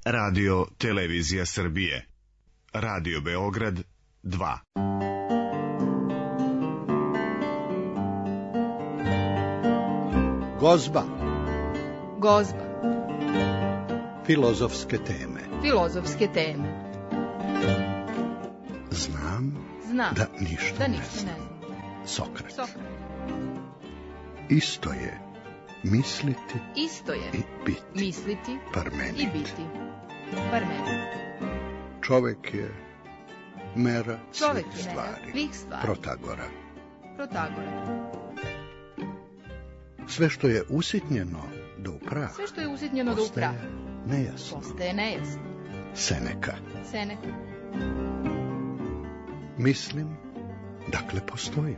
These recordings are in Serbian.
Radio Televizija Srbije. Radio Beograd 2. Gozba. Gozba. Filozofske teme. Filozofske teme. Znam da ništa ne znam. Sokrat. Isto je misliti i biti. Misliti Parmenid. i biti. Parmenid. Čovek je mera Čovek svih je mera svih stvari. Protagora. Sve što je usitnjeno do upraha. Postaje nejasno. Seneka. Mislim, dakle postojim.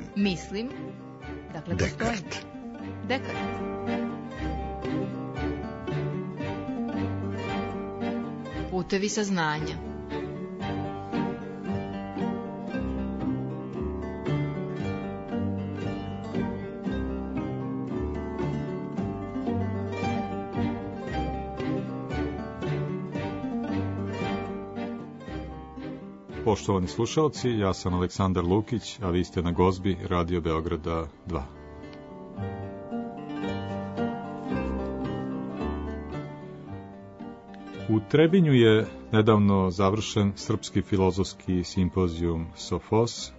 Dekart. Putevi saznanja. Poštovani slušalci, ja sam Aleksandar Lukić, a vi ste na Gozbi Radio Beograda 2. U Trebinju je nedavno završen Srpski filozofski simpozijum Sofos.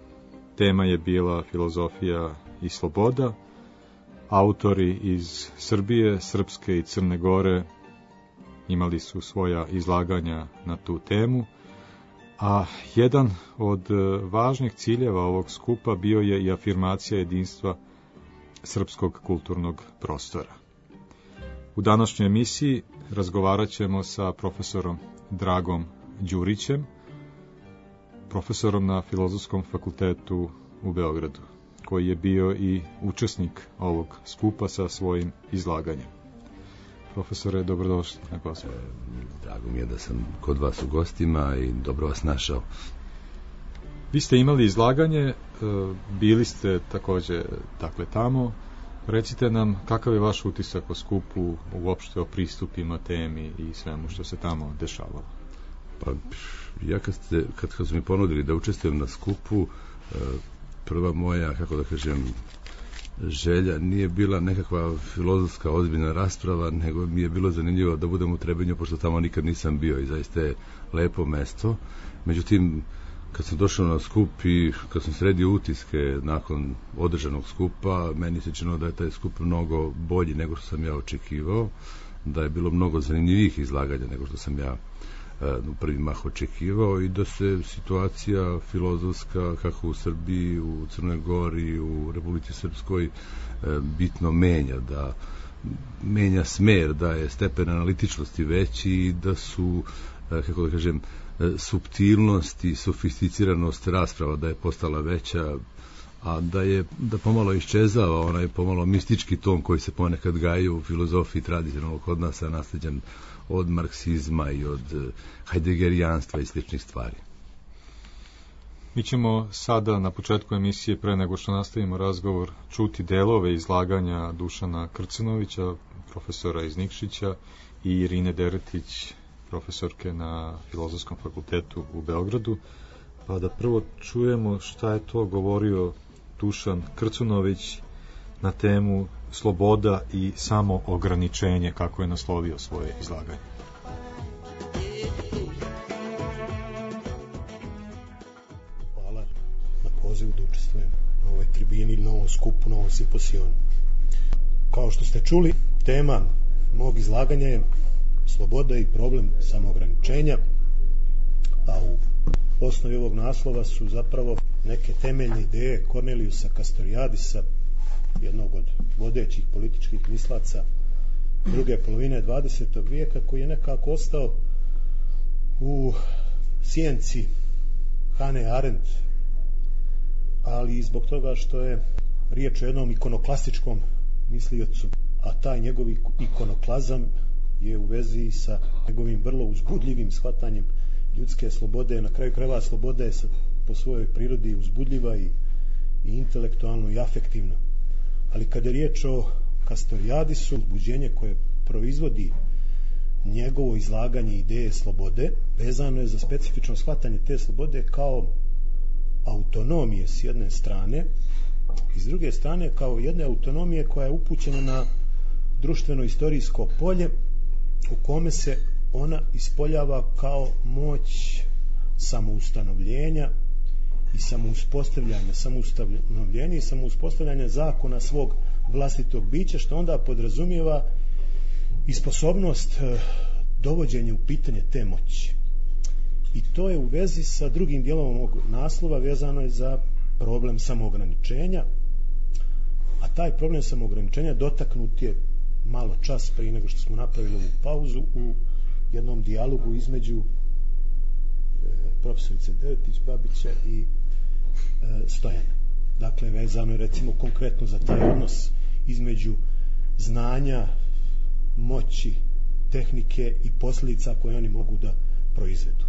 Tema je bila filozofija i sloboda. Autori iz Srbije, Srpske i Crne Gore imali su svoja izlaganja na tu temu. A jedan od važnih ciljeva ovog skupa bio je i afirmacija jedinstva srpskog kulturnog prostora. U današnjoj emisiji razgovarat ćemo sa profesorom Dragom Đurićem, profesorom na Filozofskom fakultetu u Beogradu, koji je bio i učesnik ovog skupa sa svojim izlaganjem. Profesore, dobrodošli na Gozbu. Drago mi je da sam kod vas u gostima i dobro vas našao. Vi ste imali izlaganje, bili ste također tamo. Recite nam kakav je vaš utisak o skupu, uopšte o pristupima temi i svemu što se tamo dešavalo. Pa ja kad su mi ponudili da učestvujem na skupu, prva moja, želja nije bila nekakva filozofska ozbiljna rasprava, nego mi je bilo zanimljivo da budem u Trebinju, pošto tamo nikad nisam bio i zaista je lepo mesto. Međutim, kad sam došao na skup i kad sam sredio utiske nakon održanog skupa, meni se činilo da je taj skup mnogo bolji nego što sam ja očekivao, da je bilo mnogo zanimljivih izlaganja nego što sam ja u prvi mah očekivao i da se situacija filozofska kako u Srbiji, u Crnoj Gori, u Republici Srpskoj bitno menja, da menja smer, da je stepen analitičnosti veći i da su, suptilnost i sofisticiranost rasprava da je postala veća, a da pomalo iščezava onaj pomalo mistički ton koji se ponekad gaji u filozofiji tradicionalnog kod nas, nasleđen od marksizma i od hajdegerijanstva i sličnih stvari. Mi ćemo sada na početku emisije, pre nego što nastavimo razgovor, čuti delove izlaganja Dušana Krcenovića, profesora iz Nikšića, i Irine Deretić, profesorke na Filozofskom fakultetu u Beogradu, pa da prvo čujemo šta je to govorio Dušan Krcunović na temu sloboda i samo ograničenje, kako je naslovio svoje izlaganje. Hvala na pozivu da učestvujem na ovoj tribini, na ovom skupu, na ovom simposijonu. Kao što ste čuli, tema mog izlaganja je sloboda i problem samoograničenja, a u osnovi ovog naslova su zapravo neke temeljne ideje Kornelijusa Kastorijadisa, jednog od vodećih političkih mislaca druge polovine 20. vijeka, koji je nekako ostao u sjenci Hannah Arendt, ali i zbog toga što je riječ o jednom ikonoklastičkom misliocu, a taj njegov ikonoklazam je u vezi sa njegovim vrlo uzbudljivim shvatanjem ljudske slobode. Na kraju krajeva sloboda je po svojoj prirodi uzbudljiva i intelektualno i afektivno. Ali kada je riječ o Kastorijadisu, uzbuđenje koje proizvodi njegovo izlaganje ideje slobode vezano je za specifično shvatanje te slobode kao autonomije s jedne strane i s druge strane kao jedne autonomije koja je upućena na društveno-istorijsko polje u kome se ona ispoljava kao moć samoustanovljenja i samoustanovljenja zakona svog vlastitog bića, što onda podrazumijeva i sposobnost dovođenja u pitanje te moći. I to je u vezi sa drugim dijelom ovog naslova, vezano je za problem samoograničenja, a taj problem samoograničenja dotaknut je malo čas prije nego što smo napravili ovu pauzu u jednom dijalogu između profesorice Devetić-Babića i Stojana. Dakle, vezano je recimo konkretno za taj odnos između znanja, moći, tehnike i posljedica koje oni mogu da proizvedu.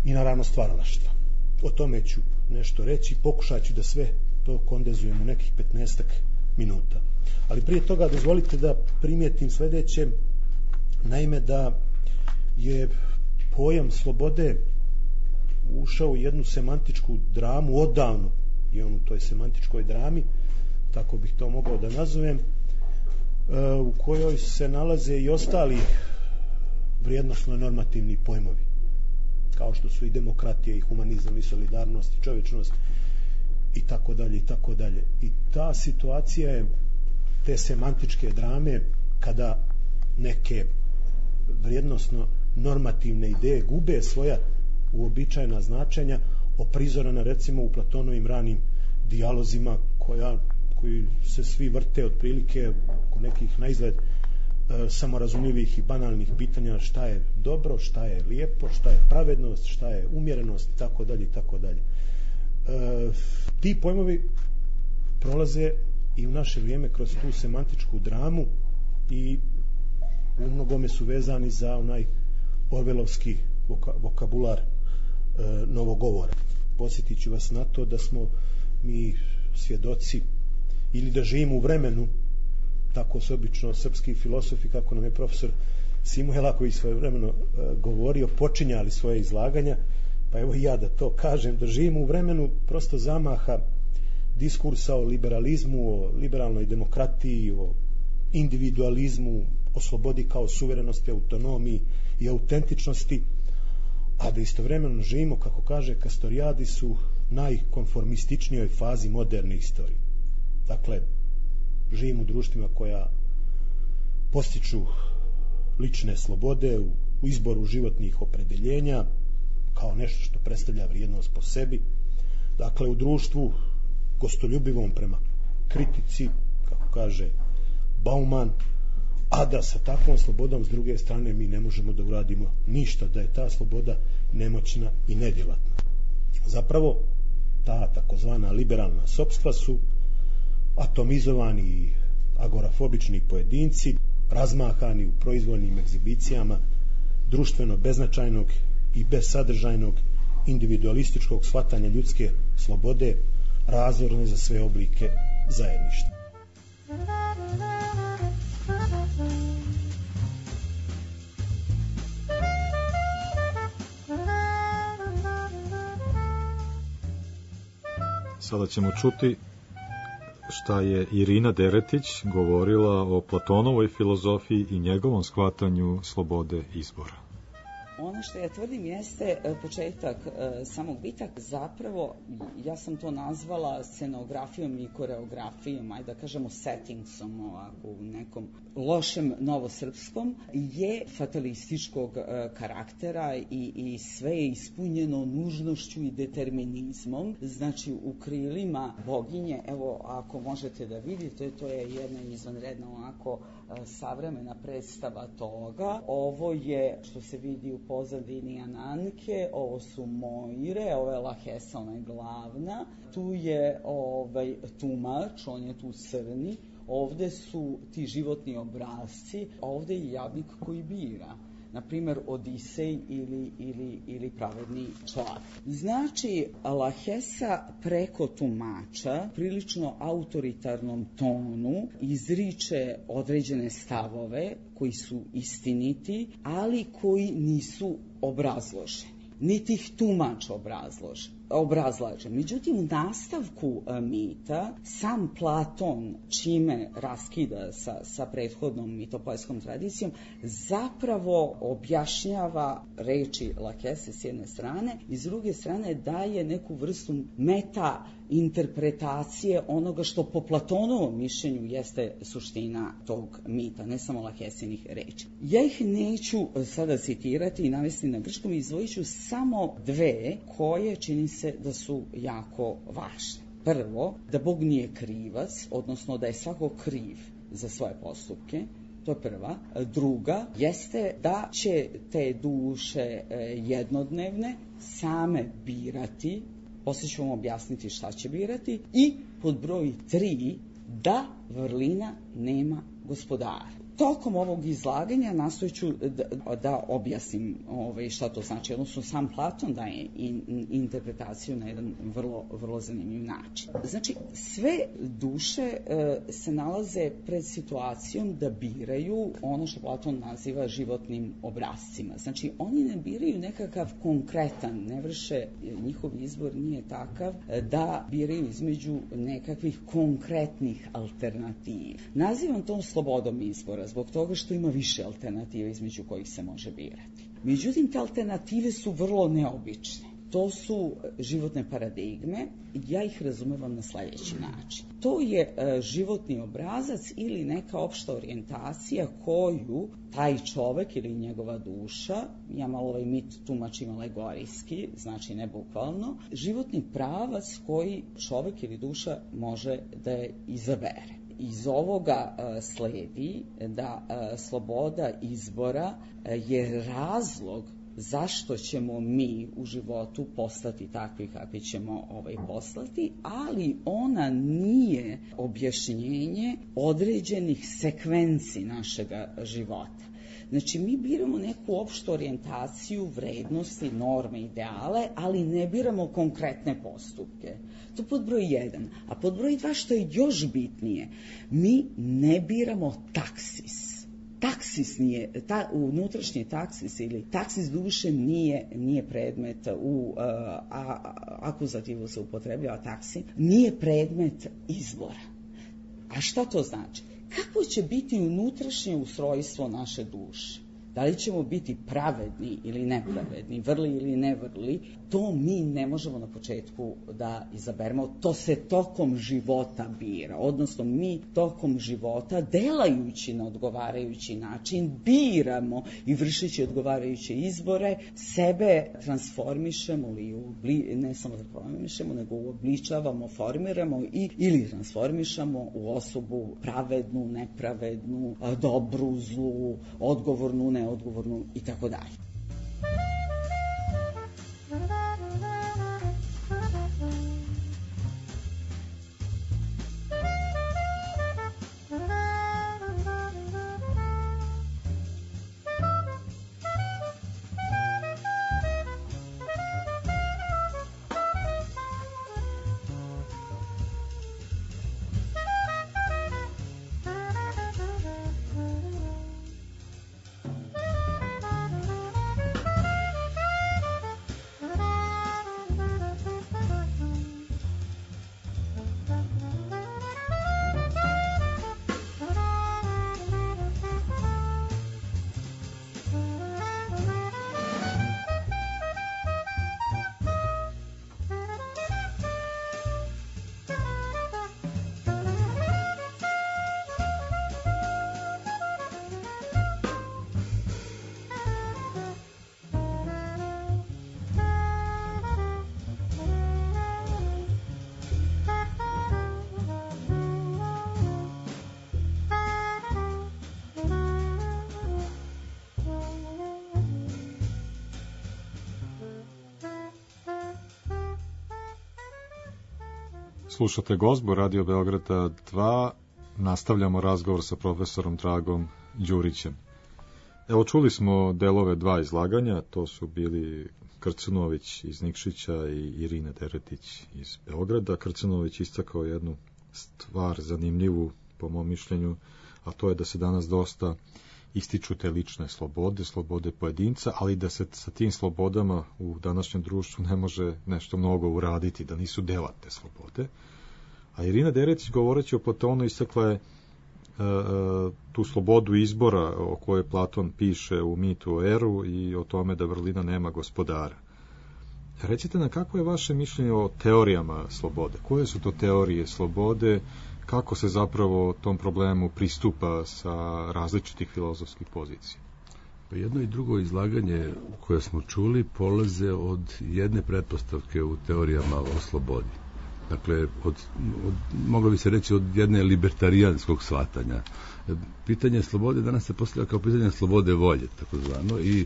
I naravno stvaralaštva. O tome ću nešto reći, pokušat ću da sve to kondenzujem u nekih 15 minuta. Ali prije toga dozvolite da primijetim sljedeće, naime da je pojam slobode ušao u jednu semantičku dramu, odavno je on u toj semantičkoj drami, tako bih to mogao da nazovem, u kojoj se nalaze i ostali vrijednosno normativni pojmovi, kao što su i demokratija, i humanizam, i solidarnost, i čovječnost, i tako dalje, i tako dalje. I ta situacija je te semantičke drame, kada neke vrijednosno normativne ideje gube svoja uobičajena značenja, oprizorana recimo u Platonovim ranim dijalozima koji se svi vrte otprilike oko nekih naizgled samorazumljivih i banalnih pitanja šta je dobro, šta je lijepo, šta je pravednost, šta je umjerenost i tako dalje i tako dalje. Ti pojmovi prolaze i u naše vrijeme kroz tu semantičku dramu i u mnogome su vezani za onaj orvelovski vokabular novogovora. Posjetit ću vas na to da smo mi svjedoci ili da živimo u vremenu, tako su obično srpski filosofi, kako nam je profesor Simuhela koji svojevremeno govorio, počinjali svoje izlaganja, pa evo i ja da to kažem, da živimo u vremenu prosto zamaha diskursa o liberalizmu, o liberalnoj demokratiji, o individualizmu, o slobodi kao suverenosti, autonomiji i autentičnosti, a da istovremeno živimo, kako kaže Kastorijadis, u najkonformističnijoj fazi moderne istorije. Dakle, živimo u društvima koja postiču lične slobode u izboru životnih opredeljenja kao nešto što predstavlja vrijednost po sebi. Dakle, u društvu gostoljubivom prema kritici, kako kaže Bauman, a da sa takvom slobodom s druge strane mi ne možemo da uradimo ništa, da je ta sloboda nemoćna i nedjelatna. Zapravo, ta takozvana liberalna sopstva su atomizovani i agorafobični pojedinci, razmahani u proizvoljnim egzibicijama društveno beznačajnog i bezsadržajnog individualističkog shvatanja ljudske slobode, razorne za sve oblike zajedništva. Sada ćemo čuti šta je Irina Deretić govorila o Platonovoj filozofiji i njegovom shvatanju slobode izbora. Ono što ja tvrdim jeste početak samog bitak, zapravo ja sam to nazvala scenografijom i koreografijom, ajde da kažemo settingsom, ovako u nekom lošem novosrpskom, je fatalističkog karaktera i sve je ispunjeno nužnošću i determinizmom. Znači u krilima boginje, evo ako možete da vidite, to je jedna izvanredna onako savremena predstava toga. Ovo je što se vidi u pozadini Ananke, ovo su Moire, ovo je Lahesa, ona je glavna, tu je tumač, on je tu crni, ovde su ti životni obrazci, ovde je jadnik koji bira. na primjer Odisej ili Pravedni čovjek. Znači, Lahesa preko tumača, prilično autoritarnom tonu, izriče određene stavove koji su istiniti, ali koji nisu obrazloženi. Niti ih tumač obrazlaže. Međutim, u nastavku mita sam Platon, čime raskida sa prethodnom mitopoetskom tradicijom, zapravo objašnjava reči Lahese s jedne strane i s druge strane daje neku vrstu meta interpretacije onoga što po Platonovom mišljenju jeste suština tog mita, ne samo Lahesinih reči. Ja ih neću sada citirati i navesti na grčkom, izdvojit ću samo dve koje čini se da su jako važne. Prvo, da Bog nije krivac, odnosno da je svako kriv za svoje postupke. To je prva. Druga jeste da će te duše jednodnevne same birati, poslije ću vam objasniti šta će birati, i pod broj 3, da vrlina nema gospodara. Tokom ovog izlaganja nastojat ću da objasnim šta to znači. Odnosno, sam Platon daje interpretaciju na jedan vrlo zanimljiv način. Znači, sve duše se nalaze pred situacijom da biraju ono što Platon naziva životnim obrascima. Znači, oni ne biraju nekakav konkretan, ne vrše, njihov izbor nije takav da biraju između nekakvih konkretnih alternativa. Nazivam to slobodom izbora, zbog toga što ima više alternativa između kojih se može birati. Međutim, te alternative su vrlo neobične. To su životne paradigme, ja ih razumevam na sljedeći način. To je životni obrazac ili neka opšta orijentacija koju taj čovek ili njegova duša, ja malo ovaj mit tumačim alegorijski, znači ne bukvalno, životni pravac koji čovek ili duša može da je izabere. Iz ovoga sledi da sloboda izbora je razlog zašto ćemo mi u životu postati takvi kakvi ćemo postati, ali ona nije objašnjenje određenih sekvenci našega života. Znači, mi biramo neku opštu orijentaciju, vrednosti, norme, ideale, ali ne biramo konkretne postupke. To pod broj 1. A pod broj 2, što je još bitnije, mi ne biramo taksis. Taksis nije, unutrašnji taksis ili taksis duše nije predmet, akuzativu se upotrebljava taksi, nije predmet izbora. A šta to znači? Kako će biti unutrašnje ustrojstvo naše duše? Da li ćemo biti pravedni ili nepravedni, vrli ili nevrli, to mi ne možemo na početku da izaberemo. To se tokom života bira, odnosno mi tokom života, delajući na odgovarajući način, biramo i vršeći odgovarajuće izbore, sebe transformišemo ne samo transformišemo, nego uobličavamo, formiramo ili transformišemo u osobu pravednu, nepravednu, dobru, zlu, odgovornu, neodgovornu i tako dalje. Slušate Gozbu Radio Beograda 2, nastavljamo razgovor sa profesorom Dragom Đurićem. Evo, čuli smo delove 2 izlaganja, to su bili Krcunović iz Nikšića i Irina Deretić iz Beograda. Krcunović istakao jednu stvar zanimljivu, po mom mišljenju, a to je da se danas dosta ističu te lične slobode pojedinca, ali da se sa tim slobodama u današnjem društvu ne može nešto mnogo uraditi, da nisu dela te slobode. A Irina Deretić, govoreći o Platonu, istakla je tu slobodu izbora o kojoj Platon piše u Mitu o Eru i o tome da vrlina nema gospodara. Recite nam, kako je vaše mišljenje o teorijama slobode? Koje su to teorije slobode? Kako se zapravo tom problemu pristupa sa različitih filozofskih pozicija? Jedno i drugo izlaganje koje smo čuli polaze od jedne pretpostavke u teorijama o slobodi. Dakle, moglo bi se reći od jedne libertarijanskog shvatanja. Pitanje slobode danas se postavlja kao pitanje slobode volje, takozvano, i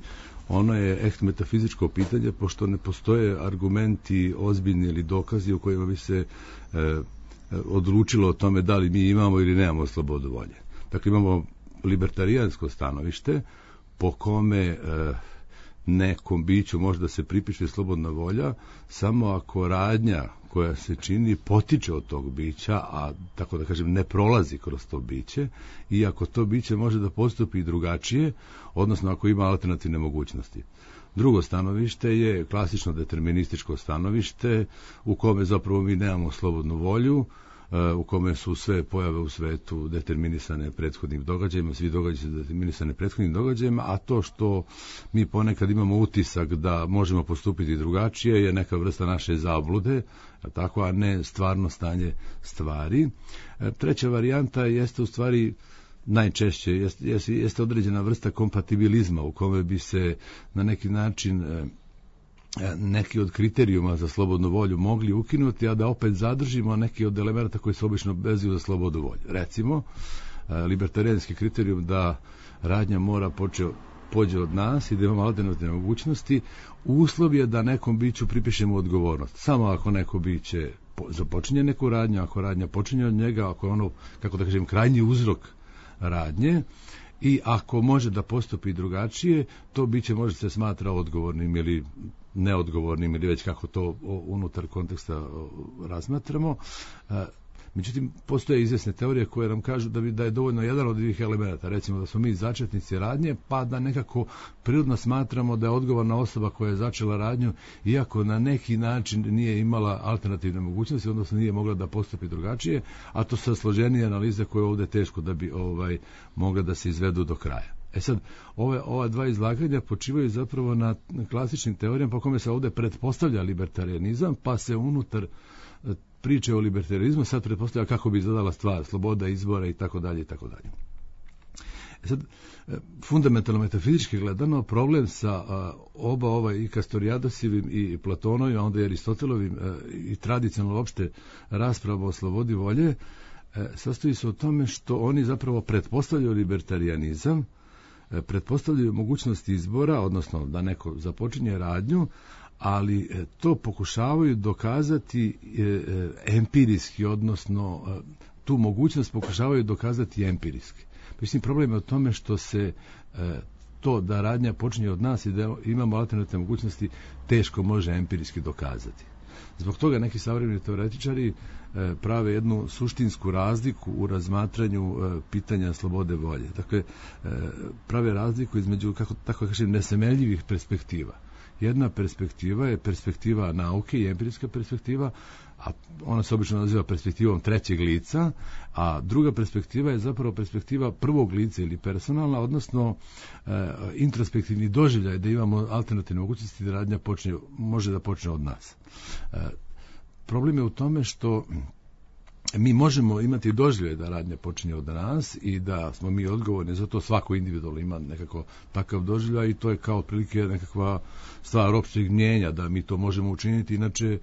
ono je echt metafizičko pitanje, pošto ne postoje argumenti ozbiljni ili dokazi u kojima bi se odlučilo o tome da li mi imamo ili nemamo slobodu volje. Dakle, imamo libertarijansko stanovište po kome nekom biću može da se pripiše slobodna volja samo ako radnja koja se čini potiče od tog bića, a tako da kažem ne prolazi kroz to biće, i ako to biće može da postupi drugačije, odnosno ako ima alternativne mogućnosti. Drugo stanovište je klasično determinističko stanovište u kome zapravo mi nemamo slobodnu volju, u kome su sve pojave u svetu determinisane prethodnim događajima, svi događaji su determinisane prethodnim događajima, a to što mi ponekad imamo utisak da možemo postupiti drugačije je neka vrsta naše zablude, tako, a ne stvarno stanje stvari. Treća varijanta jeste u stvari najčešće jeste određena vrsta kompatibilizma u kome bi se na neki način neki od kriterijuma za slobodnu volju mogli ukinuti, a da opet zadržimo neki od elemenata koji se obično vezuju za slobodu volju. Recimo, libertarijanski kriterijum da radnja mora pođe od nas i da imamo alternativne mogućnosti, uslov je da nekom biću pripišemo odgovornost. Samo ako neko biće započinje neku radnju, ako radnja počinje od njega, ako je ono, kako da kažem, krajnji uzrok radnje, i ako može da postupi drugačije, to biće može se smatra odgovornim ili neodgovornim, ili već kako to unutar konteksta razmatramo. Međutim, postoje izvjesne teorije koje nam kažu da je dovoljno jedan od ovih elemenata, recimo da smo mi začetnici radnje, pa da nekako prirodno smatramo da je odgovorna osoba koja je začela radnju, iako na neki način nije imala alternativne mogućnosti, odnosno nije mogla da postupi drugačije, a to su složenije analize koje je ovdje teško da bi mogla da se izvedu do kraja. Sad, ova dva izlaganja počivaju zapravo na klasičnim teorijama po kome se ovdje pretpostavlja libertarianizam, pa se unutar priče o libertarizmu sad pretpostavlja kako bi izgledala stvar, sloboda izbora i tako dalje i tako dalje. Sad, fundamentalno metafizički gledano, problem sa oba i Kastorijadosivim i Platonovim, a onda i Aristotelovim i tradicionalno uopšte rasprava o slobodi volje, sastoji se u tome što oni zapravo pretpostavljaju libertarianizam, pretpostavljaju mogućnost izbora, odnosno da neko započinje radnju, ali to pokušavaju dokazati empirijski, odnosno tu mogućnost pokušavaju dokazati empirijski. Mislim, problem je u tome što se to da radnja počinje od nas i da imamo alternativne mogućnosti teško može empirijski dokazati. Zbog toga neki savremeni teoretičari prave jednu suštinsku razliku u razmatranju pitanja slobode volje. Dakle, prave razliku između, tako kažem, nesemeljivih perspektiva. Jedna perspektiva je perspektiva nauke i empirijska perspektiva, a ona se obično naziva perspektivom trećeg lica, a druga perspektiva je zapravo perspektiva prvog lica ili personalna, odnosno introspektivni doživljaj da imamo alternativne mogućnosti da radnja može da počne od nas. Problem je u tome što mi možemo imati doživljaj da radnja počinje od nas i da smo mi odgovorni, zato svako individualno ima nekako takav doživljaj i to je kao otprilike nekakva stvar opšteg mnjenja da mi to možemo učiniti, inače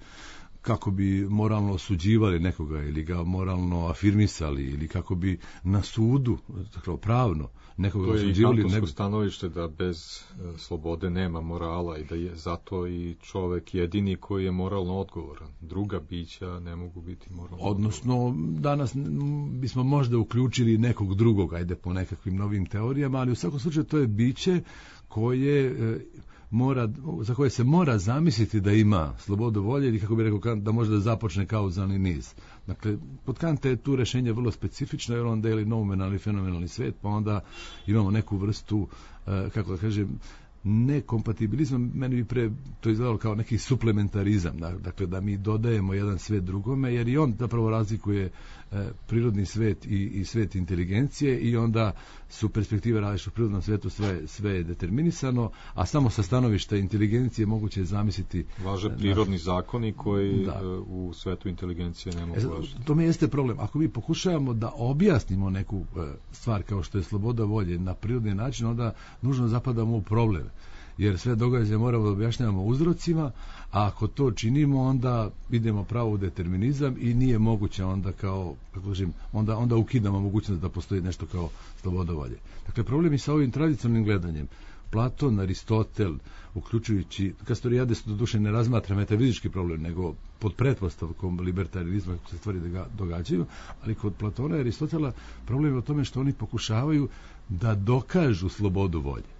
kako bi moralno osuđivali nekoga ili ga moralno afirmisali ili kako bi na sudu, dakle pravno, nekoga osuđivali. To je i kantonsko stanovište da bez slobode nema morala i da je zato i čovek jedini koji je moralno odgovoran. Druga bića ne mogu biti moralno odnosno, danas bismo možda uključili nekog drugog, ajde po nekakvim novim teorijama, ali u svakom slučaju to je biće za koje se mora zamisliti da ima slobodu volje ili, kako bi rekao, da može da započne kauzalni niz. Dakle, kod Kanta je tu rešenje vrlo specifično, jer on deli noumenalni fenomenalni svet, pa onda imamo neku vrstu, kako da kažem, nekompatibilizam, meni bi pre to izgledalo kao neki suplementarizam, dakle da mi dodajemo jedan svet drugome, jer i on zapravo razlikuje prirodni svet i svet inteligencije i onda su perspektive različite. U prirodnom svetu sve je determinisano, a samo sa stanovišta inteligencije moguće je zamisliti važe prirodni zakoni koji u svetu inteligencije ne mogu važiti. To mi jeste problem. Ako mi pokušavamo da objasnimo neku stvar kao što je sloboda volje na prirodni način, onda nužno zapadamo u problem. Jer sve događaje moramo da objašnjavamo uzrocima, a ako to činimo, onda idemo pravo u determinizam i nije moguće onda kao, kako kažem, onda ukidamo mogućnost da postoji nešto kao sloboda volje. Dakle, problem je sa ovim tradicionalnim gledanjem. Platon, Aristotel, uključujući Kastorijades, doduše ne razmatra metafizički problem, nego pod pretpostavkom libertarizma, kako se stvari događaju, ali kod Platona i Aristotela problem je o tome što oni pokušavaju da dokažu slobodu volje.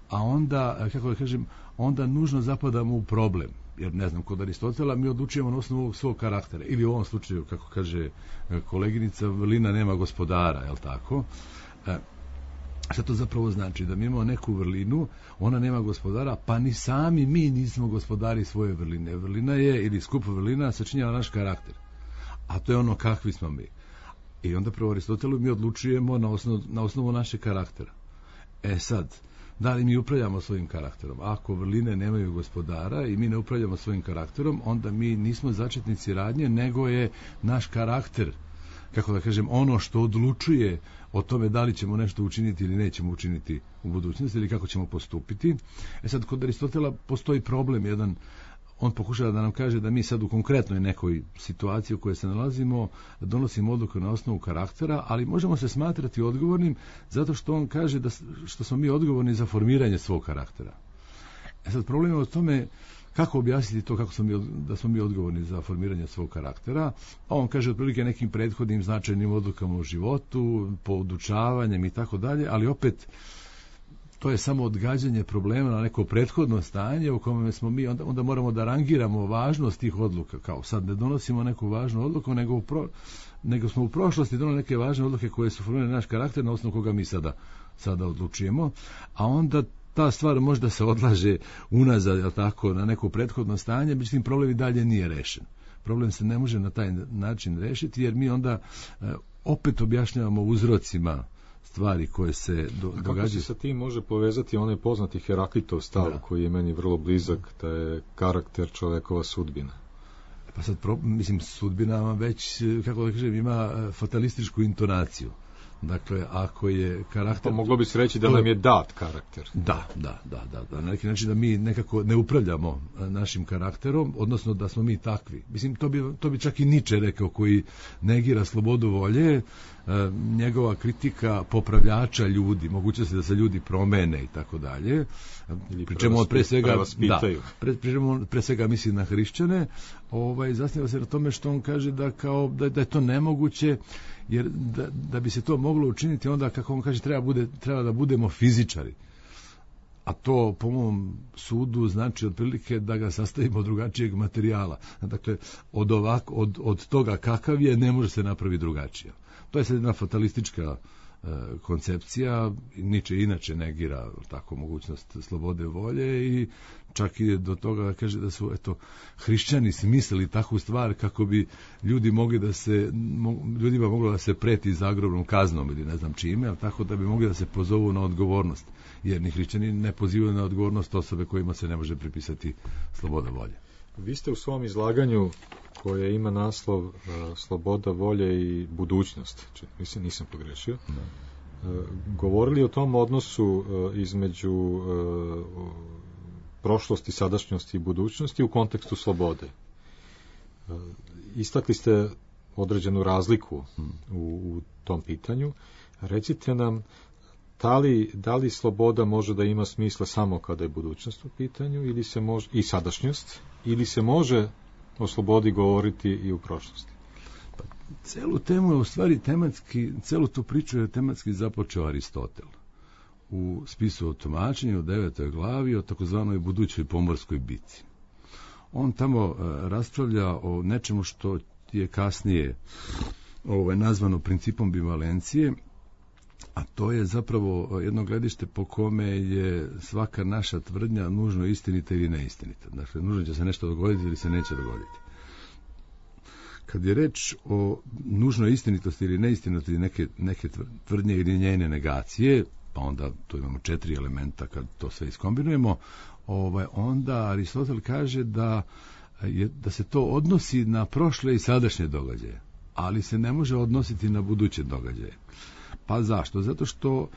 A onda, kako da kažem, onda nužno zapadamo u problem. Jer, ne znam, kod Aristotela mi odlučujemo na osnovu svog karaktera. Ili u ovom slučaju, kako kaže koleginica, vrlina nema gospodara, je li tako? Šta to zapravo znači? Da mi imamo neku vrlinu, ona nema gospodara, pa ni sami mi nismo gospodari svoje vrline. Vrlina je, ili skup vrlina, sačinjava naš karakter. A to je ono kakvi smo mi. I onda prvo Aristotelu mi odlučujemo na osnovu našeg karaktera. Sad, da li mi upravljamo svojim karakterom? Ako vrline nemaju gospodara i mi ne upravljamo svojim karakterom, onda mi nismo začetnici radnje, nego je naš karakter, kako da kažem, ono što odlučuje o tome da li ćemo nešto učiniti ili nećemo učiniti u budućnosti ili kako ćemo postupiti. Sad, kod Aristotela postoji problem jedan. On pokušava da nam kaže da mi sad u konkretnoj nekoj situaciji u kojoj se nalazimo donosimo odluku na osnovu karaktera, ali možemo se smatrati odgovornim zato što on kaže što smo mi odgovorni za formiranje svog karaktera. Sad, problem je o tome kako objasniti to da smo mi odgovorni za formiranje svog karaktera. A on kaže otprilike nekim prethodnim značajnim odlukama u životu, poučavanjem i tako dalje, ali opet to je samo odgađanje problema na neko prethodno stanje u kome smo mi, onda moramo da rangiramo važnost tih odluka, kao sad ne donosimo neku važnu odluku, nego smo u prošlosti donali neke važne odluke koje su formirale naš karakter na osnovu koga mi sada odlučujemo, a onda ta stvar možda se odlaže unazad, jel tako, na neko prethodno stanje, međutim problem i dalje nije rešen. Problem se ne može na taj način rešiti, jer mi onda opet objašnjavamo uzrocima stvari koje se događaju. Kako se sa tim može povezati onaj poznati Heraklitov stav koji je meni vrlo blizak, da je karakter čovekova sudbina? Pa sad, sudbina već, kako da kažem, ima fatalističku intonaciju. Dakle, ako je karakter... Pa moglo bi se reći da nam je dat karakter. Da. Na neki način da mi nekako ne upravljamo našim karakterom, odnosno da smo mi takvi. Mislim, to bi čak i Nietzsche rekao, koji negira slobodu volje, njegova kritika popravljača ljudi, mogućnosti da se ljudi promene i tako dalje. Pričemu on pre svega misli na hrišćane, zasniva se na tome što on kaže da je to nemoguće, jer da bi se to moglo učiniti, onda, kako on kaže, treba da budemo fizičari. A to, po mom sudu, znači otprilike da ga sastavimo od drugačijeg materijala. Dakle, od toga kakav je, ne može se napraviti drugačije. To je sad jedna fatalistička koncepcija. Nietzsche inače negira tako mogućnost slobode volje i čak ide do toga da kaže da su hrišćani smislili takvu stvar kako bi ljudima moglo da se preti zagrobnom kaznom ili ne znam čime, ali tako da bi mogli da se pozovu na odgovornost, jer ni hrišćani ne pozivaju na odgovornost osobe kojima se ne može pripisati sloboda volje. Vi ste u svom izlaganju, koje ima naslov Sloboda volje i budućnost, mislim, nisam pogrešio, govorili o tom odnosu između prošlosti, sadašnjosti i budućnosti u kontekstu slobode. Istakli ste određenu razliku u tom pitanju. Recite nam, Da li sloboda može da ima smisla samo kada je budućnost u pitanju ili se može, i sadašnjost, ili se može o slobodi govoriti i u prošlosti? Celu temu je u stvari tematski, celu tu priču je tematski započeo Aristotel. U spisu o tumačenju u 9. glavi o takozvanoj budućoj pomorskoj bitci. On tamo raspravlja o nečemu što je kasnije nazvano principom bivalencije, a to je zapravo jedno gledište po kome je svaka naša tvrdnja nužno istinita ili neistinita. Dakle, nužno će se nešto dogoditi ili se neće dogoditi. Kad je reč o nužnoj istinitosti ili neistinitosti neke tvrdnje ili njene negacije, pa onda tu imamo 4 elementa kad to sve iskombinujemo, onda Aristotel kaže da se to odnosi na prošle i sadašnje događaje, ali se ne može odnositi na buduće događaje. Pa zašto? Zato što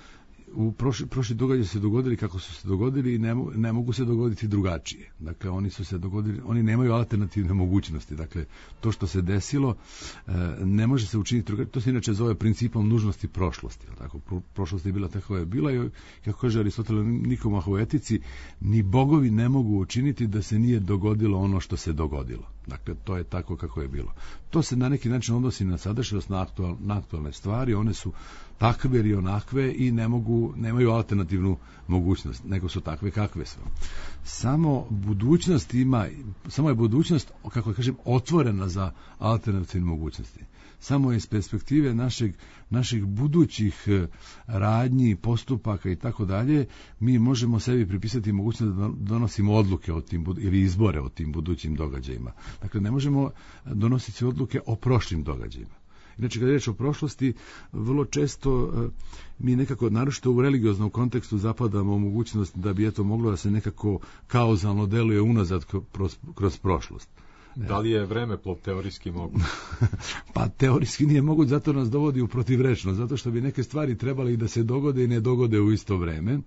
prošli događaji se dogodili kako su se dogodili i ne mogu se dogoditi drugačije. Dakle, oni su se dogodili, oni nemaju alternativne mogućnosti. Dakle, to što se desilo ne može se učiniti drugačije. To se inače zove principom nužnosti prošlosti. Tako, prošlost je bila tako je bila i, kako kaže Aristotel Nikomah u etici, ni bogovi ne mogu učiniti da se nije dogodilo ono što se dogodilo. Dakle, to je tako kako je bilo. To se na neki način odnosi na sadašnjost, na aktualne stvari, one su takve ili onakve i nemaju alternativnu mogućnost, nego su takve kakve su. Samo je budućnost, kako kažem, otvorena za alternativne mogućnosti. Samo iz perspektive naših budućih radnji, postupaka i tako dalje, mi možemo sebi pripisati mogućnost da donosimo odluke o tim ili izbore o tim budućim događajima. Dakle, ne možemo donositi odluke o prošlim događajima. Inače, kad je reč o prošlosti, vrlo često mi nekako, naročito u religioznom kontekstu, zapadamo u mogućnost da bi moglo da se nekako kauzalno deluje unazad kroz prošlost. Da li je vremeplov teorijski moguć? Pa teorijski nije moguć, zato nas dovodi u protivrečnost, zato što bi neke stvari trebali da se dogode i ne dogode u isto vreme.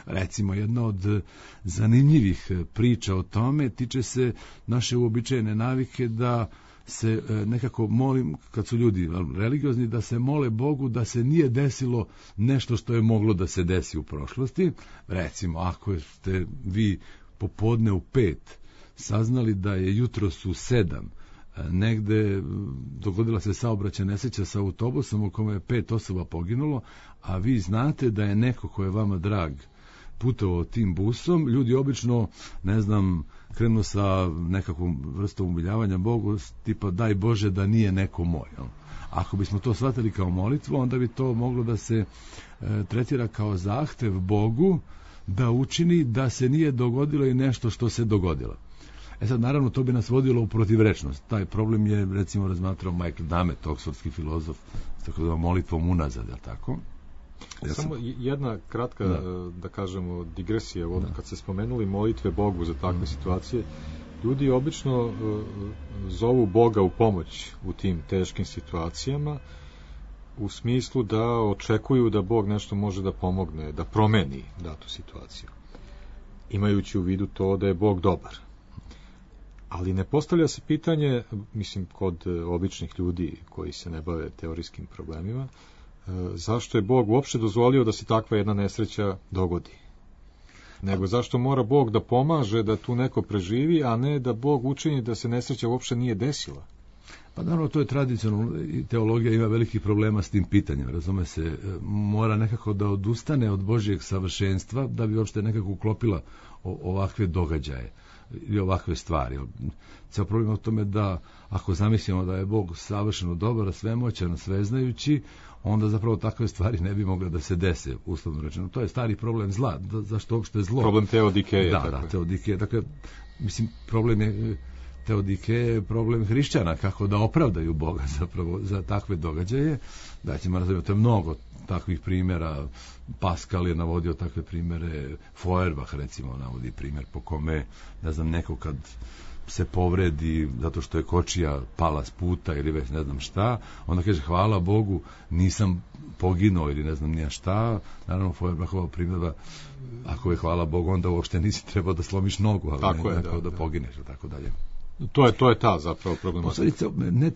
Recimo, jedna od zanimljivih priča o tome tiče se naše uobičajene navike da se nekako molim, kad su ljudi religiozni, da se mole Bogu da se nije desilo nešto što je moglo da se desi u prošlosti. Recimo, ako ste vi popodne u 5 saznali da je jutros u 7 negde dogodila se saobraćajna nesreća sa autobusom u kome je 5 osoba poginulo, a vi znate da je neko ko je vama drag putovao tim busom, ljudi obično, krenu sa nekakvom vrstom umiljavanja Bogu, tipa daj Bože da nije neko moj. Ako bismo to shvatili kao molitvu, onda bi to moglo da se tretira kao zahtev Bogu da učini da se nije dogodilo i nešto što se dogodilo. Sad, naravno, to bi nas vodilo u protivrečnost. Taj problem je, recimo, razmatrao Michael Dummett, oksfordski filozof, s tako da molitvom unazad, je li tako? Samo jedna kratka, da kažemo, digresija. Kad se spomenuli molitve Bogu za takve situacije, ljudi obično zovu Boga u pomoć u tim teškim situacijama, u smislu da očekuju da Bog nešto može da pomogne, da promeni datu situaciju, imajući u vidu to da je Bog dobar. Ali ne postavlja se pitanje, mislim, kod običnih ljudi koji se ne bave teorijskim problemima, zašto je Bog uopšte dozvolio da se takva jedna nesreća dogodi? Nego zašto mora Bog da pomaže da tu neko preživi, a ne da Bog učini da se nesreća uopšte nije desila? Pa naravno, to je tradicionalno i teologija ima velikih problema s tim pitanjem. Razume se, mora nekako da odustane od Božijeg savršenstva da bi uopšte nekako uklopila ovakve događaje i ovakve stvari. Cijel problem je u tome da ako zamislimo da je Bog savršeno dobar, svemoćan, sveznajući, onda zapravo takve stvari ne bi mogle da se dese, uslovno rečeno. To je stari problem zla. Zašto uopšte zlo? Problem teodikeje. Da, teodikeje. Dakle, mislim, problem je teodikeje, problem hrišćana, kako da opravdaju Boga zapravo za takve događaje. Da ćemo razumjeti, to je mnogo takvih primjera. Pascal je navodio takve primjere, Feuerbach recimo navodi primjer po kome, neko kad se povredi zato što je kočija pala s puta ili već ne znam šta, onda kaže hvala Bogu nisam poginuo ili ne znam nija šta. Naravno Feuerbachova primjera, ako je hvala Bogu onda uopšte nisi trebao da slomiš nogu, ali tako ne da pogineš i tako dalje. To je ta zapravo problematika.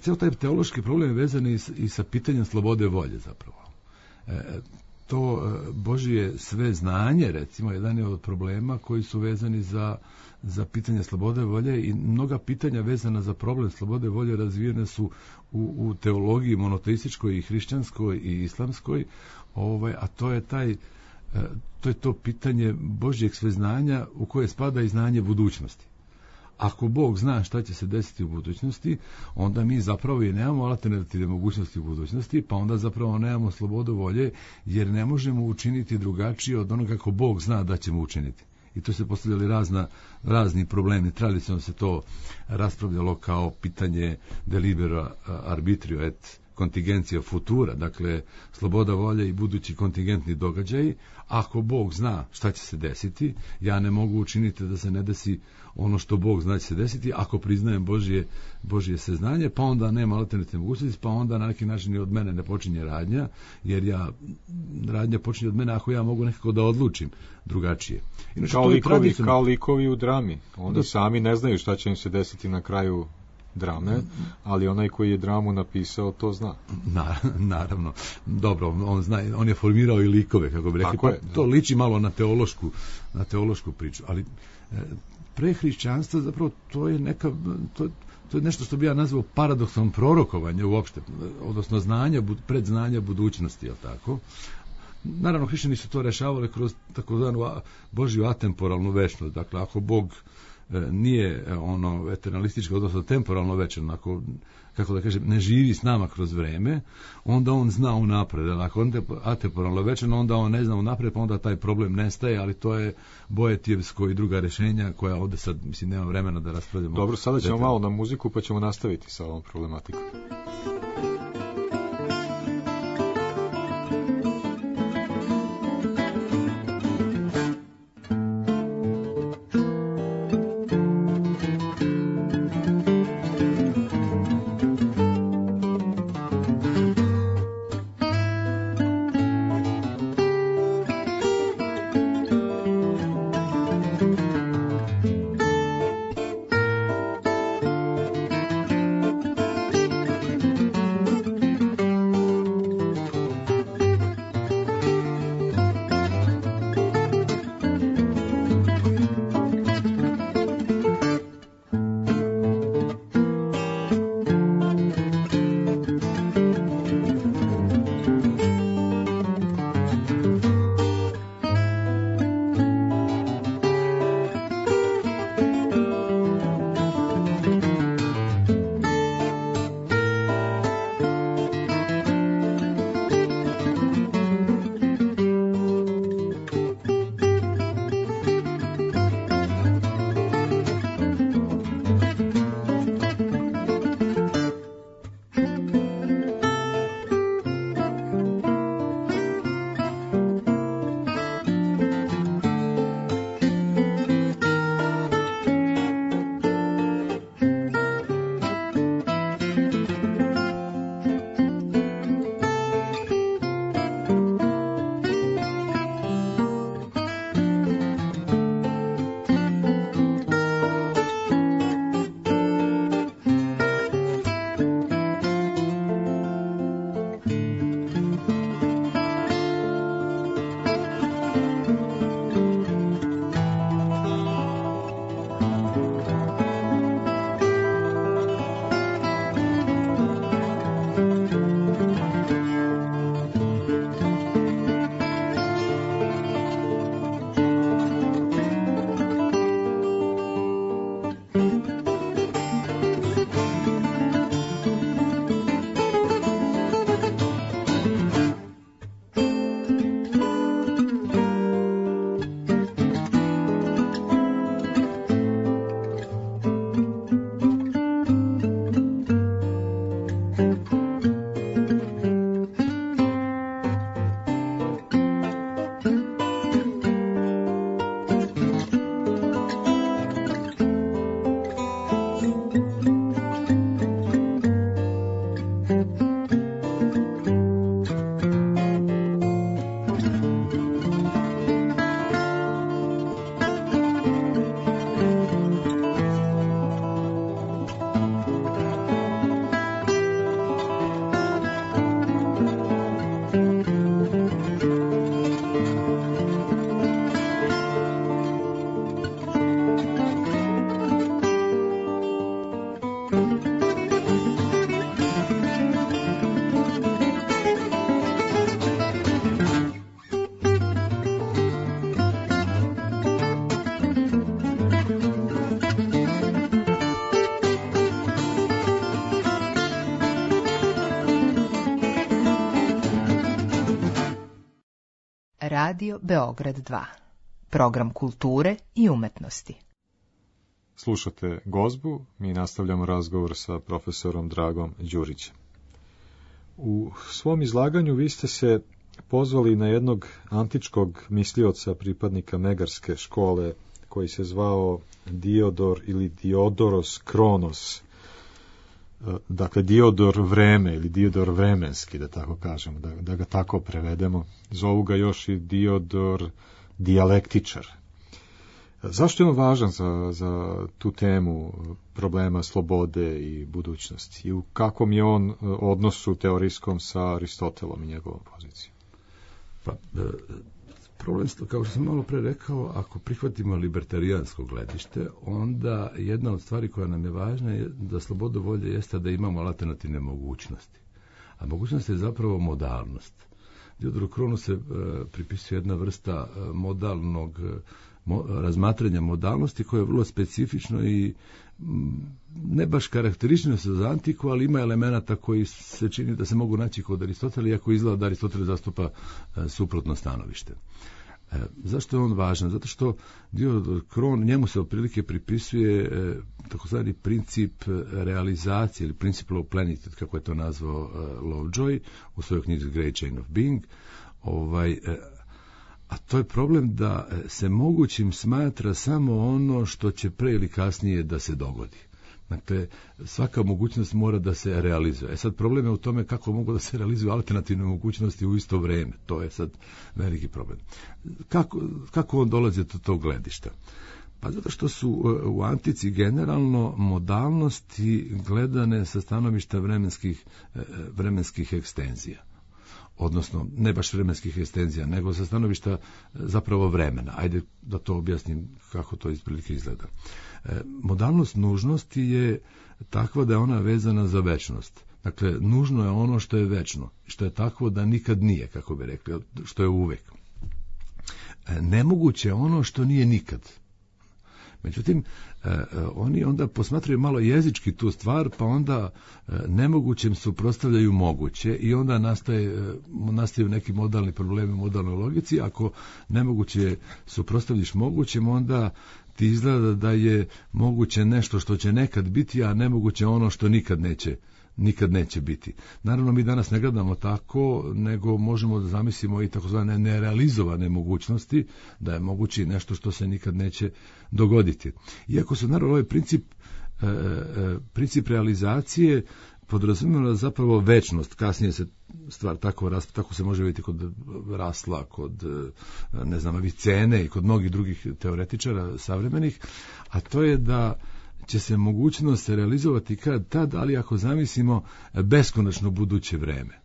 Ceo taj teološki problem je vezan i sa pitanjem slobode volje zapravo. to Božje sve znanje, recimo, jedan je od problema koji su vezani za pitanje slobode volje i mnoga pitanja vezana za problem slobode volje razvijene su u teologiji monoteističkoj i hrišćanskoj i islamskoj, a to je to pitanje Božjeg sveznanja u koje spada i znanje budućnosti. Ako Bog zna šta će se desiti u budućnosti, onda mi zapravo i nemamo alternativne mogućnosti u budućnosti, pa onda zapravo nemamo slobodu volje, jer ne možemo učiniti drugačije od onoga kako Bog zna da ćemo učiniti. I to se postavljali razni problemi. Tradicionalno se to raspravljalo kao pitanje de libero arbitrio et kontingencija futura, dakle sloboda volje i budući kontingentni događaji. Ako Bog zna šta će se desiti, ja ne mogu učiniti da se ne desi ono što Bog zna će se desiti. Ako priznajem Božje seznanje, pa onda nema alternativne mogućnosti, pa onda na neki način i od mene ne počinje radnja, jer radnja počinje od mene ako ja mogu nekako da odlučim drugačije. Inače, kao likovi u drami. Oni sami ne znaju šta će im se desiti na kraju drame, ali onaj koji je dramu napisao to zna. Naravno. Dobro, on zna, on je formirao i likove, kako bi rekli. To liči malo na teološku priču, ali pre hrišćanstva zapravo to je nešto što bi ja nazvao paradoksom prorokovanja uopšte, odnosno predznanja budućnosti, je li tako? Naravno, hrišćani su to rešavali kroz takozvanu Božju atemporalnu večnost. Dakle, ako Bog nije eternalistički, odnosno temporalno večan, ako, kako da kažem, ne živi s nama kroz vreme, onda on zna unapred. Ako on je atemporalno večan, onda on ne zna unapred, pa onda taj problem nestaje, ali to je Boetijevsko i druga rešenja koja ovde sad, mislim, nema vremena da raspravljamo. Dobro, sada ćemo malo na muziku, pa ćemo nastaviti sa ovom problematikom. Radio Beograd 2. Program kulture i umetnosti. Slušate Gozbu, mi nastavljamo razgovor sa profesorom Dragom Đurićem. U svom izlaganju vi ste se pozvali na jednog antičkog mislioca, pripadnika Megarske škole, koji se zvao Diodor ili Diodoros Kronos. Dakle, Diodor vreme ili Diodor vremenski, da tako kažemo, da ga tako prevedemo. Zovu ga još i Diodor dijalektičar. Zašto je on važan za tu temu problema slobode i budućnosti? I u kakvom je on odnosu teorijskom sa Aristotelom i njegovom pozicijom? Pa, problem, kao što sam malo pre rekao, ako prihvatimo libertarijansko gledište, onda jedna od stvari koja nam je važna je da sloboda volje jeste da imamo alternativne mogućnosti. A mogućnost je zapravo modalnost. Diodoru Kronu se pripisuje jedna vrsta modalnog razmatranja modalnosti koje je vrlo specifično i ne baš karakteristično za antiku, ali ima elemenata koji se čini da se mogu naći kod Aristotela, iako izgleda da Aristotel zastupa suprotno stanovište. Zašto je on važan? Zato što Diodor Kron, njemu se otprilike pripisuje takozvani princip realizacije ili principle of plenitude, kako je to nazvao Lovejoy u svojoj knjizi Great Chain of Being. A to je problem da se mogućim smatra samo ono što će pre ili kasnije da se dogodi. Dakle, svaka mogućnost mora da se realizuje. Sad problem je u tome kako mogu da se realizuju alternativne mogućnosti u isto vreme. To je sad veliki problem. Kako on dolazi do tog gledišta? Pa zato što su u antici generalno modalnosti gledane sa stanovišta vremenskih ekstenzija. Odnosno, ne baš vremenskih ekstenzija, nego sa stanovišta zapravo vremena. Ajde da to objasnim kako to isprilike izgleda. Modalnost nužnosti je takva da je ona vezana za večnost. Dakle, nužno je ono što je večno, što je takvo da nikad nije, kako bi rekli, što je uvek. Nemoguće je ono što nije nikad. Međutim, oni onda posmatraju malo jezički tu stvar, pa onda nemogućem suprotstavljaju moguće i onda nastaju neki modalni problemi u modalnoj logici. Ako nemoguće suprotstavljiš mogućem, onda ti izgleda da je moguće nešto što će nekad biti, a nemoguće ono što nikad neće biti. Naravno, mi danas ne gledamo tako, nego možemo da zamislimo i takozvane nerealizovane mogućnosti, da je moguće nešto što se nikad neće dogoditi. Iako se naravno ovaj princip realizacije podrazumijeva zapravo večnost, kasnije se stvar tako se može vidjeti kod Rasla, kod Avicene i kod mnogih drugih teoretičara savremenih, a to je da će se mogućnost realizovati kad tad, ali ako zamislimo beskonačno buduće vreme.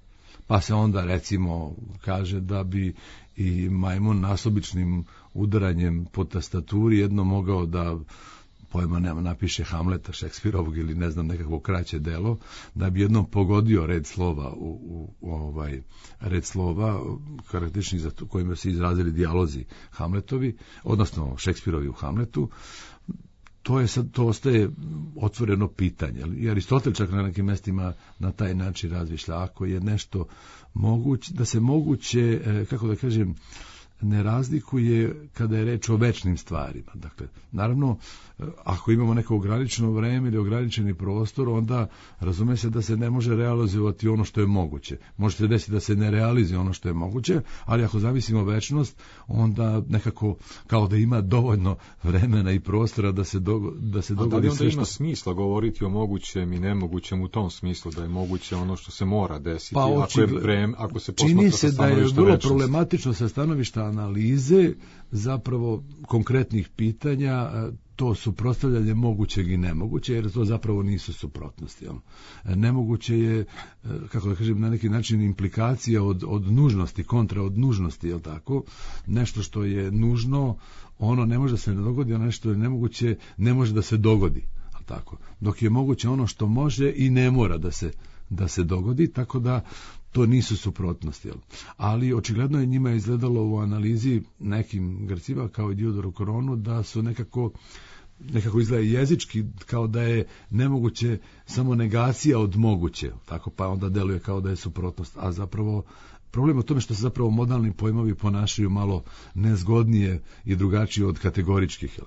Pa se onda recimo kaže da bi i majmun nasubičnim udaranjem po tastaturi jedno mogao da napiše Hamleta Šekspirovog ili nekakvo kraće delo, da bi jednom pogodio red slova karakterističnih za kojima se izrazili dijalozi Hamletovi, odnosno Šekspirovi u Hamletu. To ostaje otvoreno pitanje. I Aristotel čak na nekim mjestima na taj način razmišlja. Ako je nešto moguće, da se moguće, kako da kažem, ne razlikuje kada je reč o večnim stvarima. Dakle, naravno, ako imamo neko ograničeno vreme ili ograničeni prostor, onda razume se da se ne može realizovati ono što je moguće. Može se desiti da se ne realizuje ono što je moguće, ali ako zavisimo večnost, onda nekako kao da ima dovoljno vremena i prostora da se dogodi sve što... A da li onda ima smisla govoriti o mogućem i nemogućem u tom smislu, da je moguće ono što se mora desiti, ako se posmatra sa stanovišta večnosti? Čini se da je vrlo problematično sa stanovišta analize zapravo konkretnih pitanja to suprotstavljanje mogućeg i nemoguće, jer to zapravo nisu suprotnosti. Nemoguće je, kako da kažem, na neki način implikacija od nužnosti, kontra od nužnosti, je tako? Nešto što je nužno, ono ne može da se ne dogodi, a nešto je nemoguće, ne može da se dogodi. Tako? Dok je moguće ono što može i ne mora da se dogodi, tako da to nisu suprotnosti. Ali očigledno je njima izgledalo u analizi nekim Grcima kao i Diodoru Kronu da su nekako izgleda jezički kao da je nemoguće samo negacija od moguće, tako pa onda deluje kao da je suprotnost, a zapravo problem u tome što se zapravo modalni pojmovi ponašaju malo nezgodnije i drugačije od kategoričkih.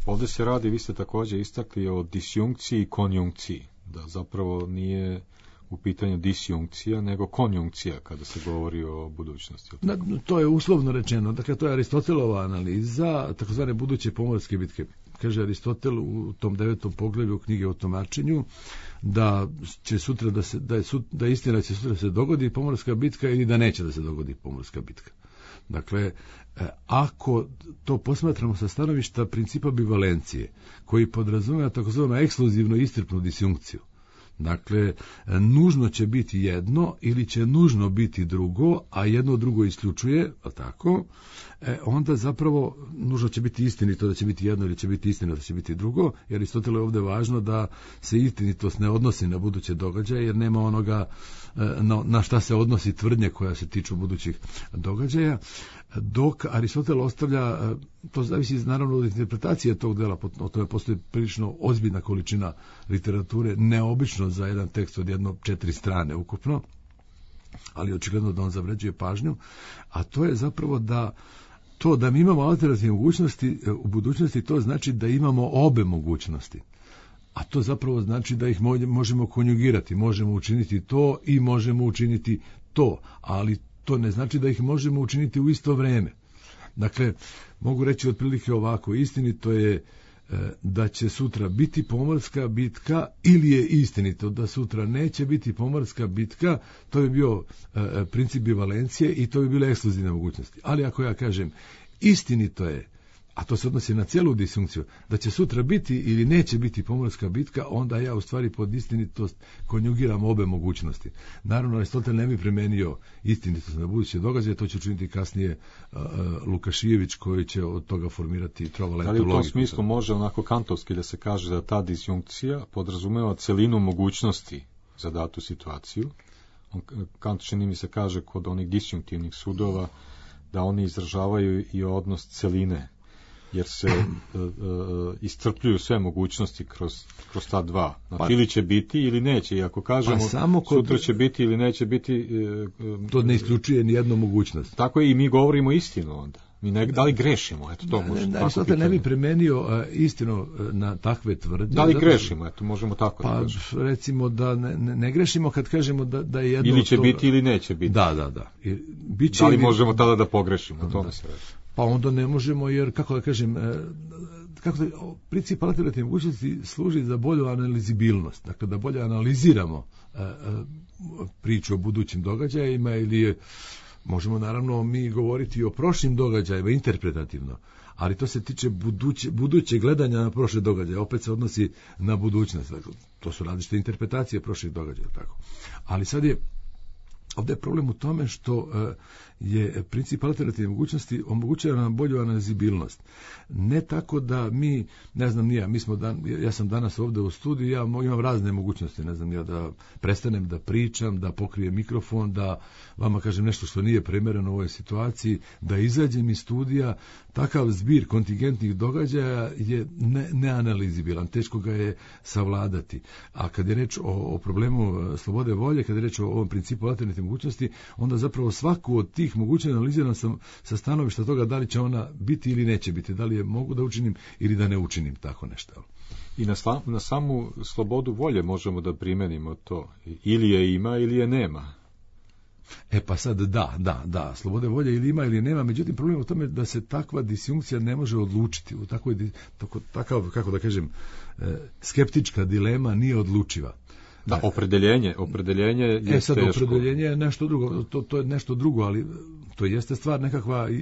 Ovdje se radi, vi ste također istakli, o disjunkciji i konjunkciji, da zapravo nije u pitanju disjunkcija, nego konjunkcija kada se govori o budućnosti. To je uslovno rečeno. Dakle, to je Aristotelova analiza takozvane buduće pomorske bitke. Kaže Aristotel u tom 9. poglavlju knjige o tumačenju da će sutra da je istina da će sutra se dogodi pomorska bitka ili da neće da se dogodi pomorska bitka. Dakle, ako to posmatramo sa stanovišta principa bivalencije, koji podrazumeva takozvanu ekskluzivno iscrpnu disjunkciju, dakle, nužno će biti jedno ili će nužno biti drugo, a jedno drugo isključuje, tako, onda zapravo nužno će biti istinito da će biti jedno ili će biti istina da će biti drugo, jer Aristotelu je ovdje važno da se istinitost ne odnosi na buduće događaje, jer nema onoga na šta se odnosi tvrdnje koja se tiču budućih događaja, dok Aristotel ostavlja, to zavisi naravno od interpretacije tog dela, o tome postoji prilično ozbiljna količina literature, neobično za jedan tekst od 4 strane ukupno, ali očigledno da on zavređuje pažnju, a to je zapravo da mi imamo alternativne mogućnosti u budućnosti, to znači da imamo obe mogućnosti. A to zapravo znači da ih možemo konjugirati, možemo učiniti to i možemo učiniti to, ali to ne znači da ih možemo učiniti u isto vrijeme. Dakle, mogu reći otprilike ovako, istinito je da će sutra biti pomorska bitka ili je istinito da sutra neće biti pomorska bitka, to bi bio princip bivalencije i to bi bile ekskluzivne mogućnosti. Ali ako ja kažem istinito je, a to se odnosi na cijelu disjunkciju, da će sutra biti ili neće biti pomorska bitka, onda ja u stvari pod istinitost konjugiram obe mogućnosti. Naravno, Aristotel ne bi primenio istinitost na buduće događaje, to će učiniti kasnije Lukašijević, koji će od toga formirati trovalentu logiku. Da li u tom smislu može onako kantovski da se kaže da ta disjunkcija podrazumeva celinu mogućnosti za datu situaciju? Kant, čini mi se, kaže kod onih disjunktivnih sudova da oni izražavaju i odnos celine, jer se iscrpljuju sve mogućnosti kroz ta dva. Znači, ili će biti ili neće. I ako kažemo sutra će biti ili neće biti... to ne isključuje ni jednu mogućnost. Tako je, i mi govorimo istinu onda. Da li grešimo? Eto, to može. Aristotel ne bi primenio istinu na takve tvrdnje. Da li grešimo? Eto, možemo tako da kažemo. Recimo da ne grešimo kad kažemo da je jedno... Ili će biti ili neće biti. Da. Da li možemo tada da pogrešimo? O tome se radi. Pa onda ne možemo, jer, kako da kažem, princip alternativne mogućnosti služi za bolju analizibilnost. Dakle, da bolje analiziramo priču o budućim događajima ili možemo naravno mi govoriti o prošlim događajima interpretativno, ali to se tiče buduće gledanja na prošle događaje, opet se odnosi na budućnost. Dakle, to su različite interpretacije prošlih događaja. Tako. Ali sad ovdje je problem u tome što je princip alternativne mogućnosti omogućava nam bolju analizibilnost. Ne tako da mi, ne znam nija, ja sam danas ovdje u studiju, ja imam razne mogućnosti, ne znam ja, da prestanem da pričam, da pokrijem mikrofon, da vama kažem nešto što nije primjereno u ovoj situaciji, da izađem iz studija. Takav zbir kontingentnih događaja je neanalizibilan, teško ga je savladati. A kad je reč o problemu slobode volje, kad je reč o ovom principu alternativne mogućnosti, onda zapravo svaku od tih mogućnosti analiziram sam sa stanovišta toga da li će ona biti ili neće biti, da li je mogu da učinim ili da ne učinim tako nešto. I na samu slobodu volje možemo da primenimo to. Ili je ima ili je nema. Pa sad da, slobode volje ili ima ili nema, međutim problem je u tome da se takva disjunkcija ne može odlučiti. U takav, kako da kažem, skeptička dilema nije odlučiva. Da, opredeljenje je sad teško. Opredeljenje je nešto drugo, to je nešto drugo, ali to jeste stvar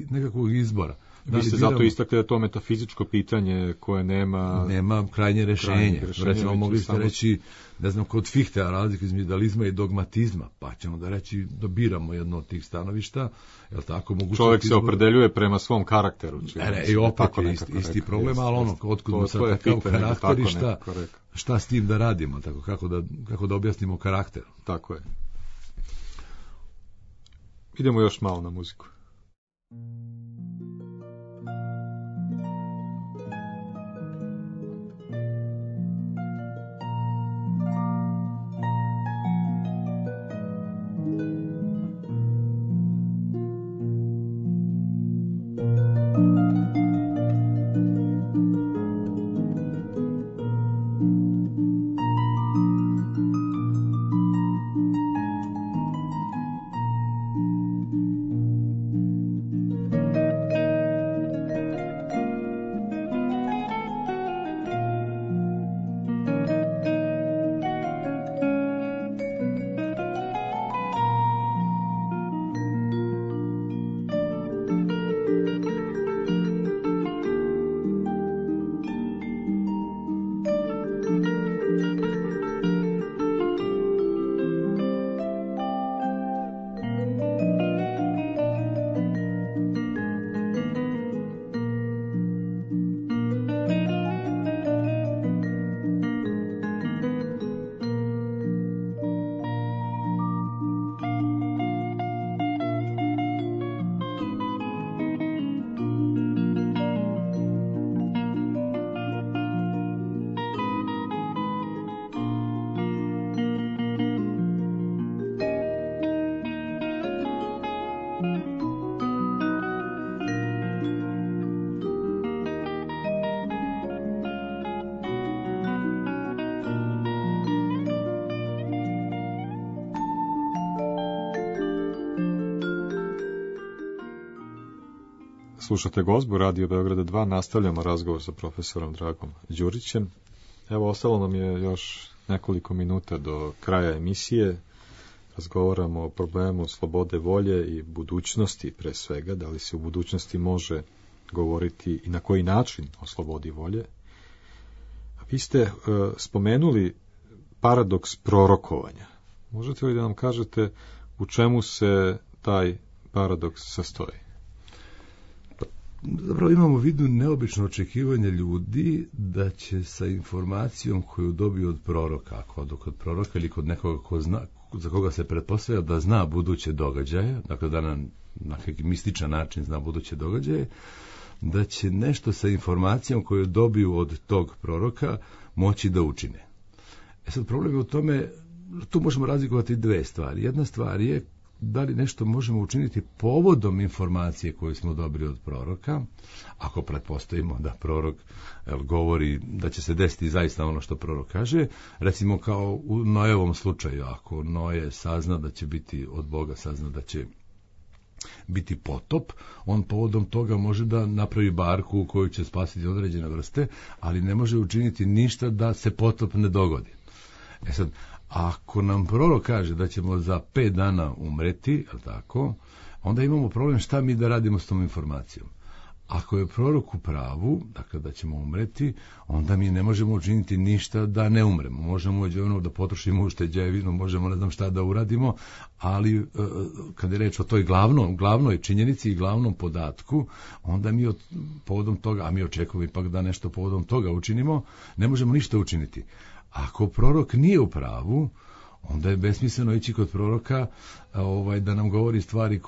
nekakvog izbora. Vi ste zato istakli da to metafizičko pitanje koje nema krajnje rješenje. Recimo mogli ste reći, ne znam, kod Fichtea razlika između idealizma i dogmatizma, pa ćemo da reći da biramo jedno od tih stanovišta. Jel tako, čovjek se opredeljuje prema svom karakteru. I opet je isti problem, ali otkud sad takav karakter i šta s tim da radimo, tako, kako da objasnimo karakter. Tako je. Idemo još malo na muziku. Slušate Gozbu, Radio Beograda 2, nastavljamo razgovor sa profesorom Dragom Đurićem. Evo, ostalo nam je još nekoliko minuta do kraja emisije. Razgovaramo o problemu slobode volje i budućnosti pre svega, da li se u budućnosti može govoriti i na koji način o slobodi volje. A vi ste spomenuli paradoks prorokovanja. Možete li da nam kažete u čemu se taj paradoks sastoji? Zapravo imamo u vidu neobično očekivanje ljudi da će sa informacijom koju dobiju od proroka, ako kod proroka ili kod nekoga ko zna, za koga se pretpostavlja da zna buduće događaje, dakle da na neki mističan način zna buduće događaje, da će nešto sa informacijom koju dobiju od tog proroka moći da učine. Sad problem je u tome, tu možemo razlikovati dve stvari. Jedna stvar je da li nešto možemo učiniti povodom informacije koju smo dobili od proroka, ako pretpostavimo da prorok govori da će se desiti zaista ono što prorok kaže, recimo kao u Noevom slučaju, ako Noe sazna da će biti od Boga, sazna da će biti potop, on povodom toga može da napravi barku u kojoj će spasiti određene vrste, ali ne može učiniti ništa da se potop ne dogodi. Sad, ako nam prorok kaže da ćemo za 5 dana umreti, tako, onda imamo problem šta mi da radimo s tom informacijom. Ako je prorok u pravu, dakle da ćemo umreti, onda mi ne možemo učiniti ništa da ne umremo. Možemo da potrošimo ušteđevinu, možemo ne znam šta da uradimo, ali kad je reč o toj glavnoj činjenici i glavnom podatku, onda mi povodom toga, a mi očekujemo ipak da nešto povodom toga učinimo, ne možemo ništa učiniti. Ako prorok nije u pravu, onda je besmisleno ići kod proroka da nam govori stvari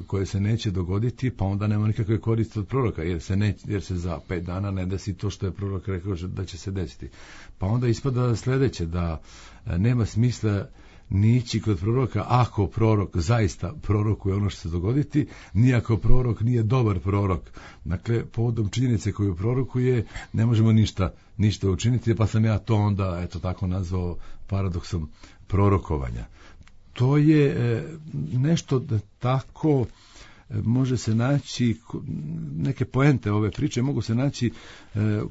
koje se neće dogoditi, pa onda nema nikakve koristi od proroka, jer se za 5 dana ne desi to što je prorok rekao da će se desiti. Pa onda ispada sledeće, da nema smisla ni ići kod proroka ako prorok zaista prorokuje ono što se dogoditi, ni ako prorok nije dobar prorok. Dakle, povodom činjenice koju prorokuje ne možemo ništa učiniti, pa sam ja to onda tako nazvao paradoksom prorokovanja. To je nešto da tako može se naći, neke poente ove priče mogu se naći